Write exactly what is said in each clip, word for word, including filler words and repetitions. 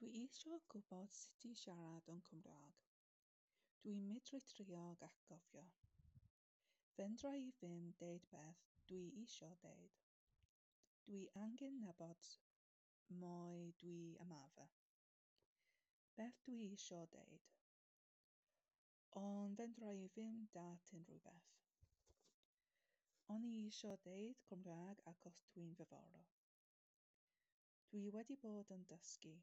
Dwi isio gwybod sut i siarad yn Cymraeg. Dwi'n medru trio ac cofio. Fedra i ddim deud beth dwi isio deud. Dwi angen nabod mwy dwi ymarfer. Beth dwi isio deud. Ond fedra i ddim deall unrhyw beth. O'n i isio deud Cymraeg achos dwi'n ddiddorol. Dwi wedi bod yn dysgu.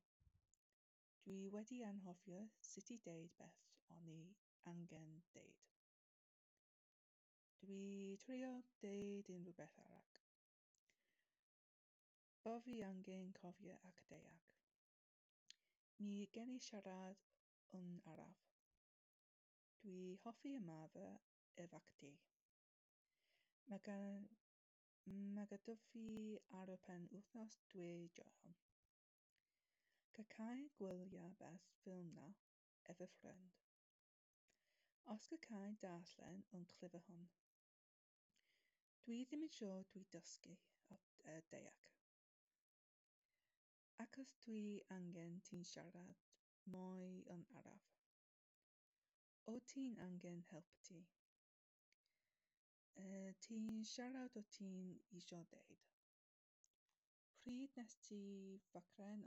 Dwi wedi anghofio sut i deud beth o'n i angen deud. Dwi trio deud unrhyw beth arall. Bo fi angen cofio ac deall. Mi gen i siarad yn araf. Dwi hoffi ymarfer efo chdi. Mae gan, mae gyda fi ar y pen wythnos dwi joio. Gallai gwylio beth ffilm 'na efo ffrind. Os gallai darllen yn llyfr hwn. Dwi ddim yn siŵr dwi dysgu a deall. Achos dwi angen ti'n siarad mwy yn araf. O ti'n angen help ti? Ti'n siarad o ti'n isio deud? Pryd nes ti fachgen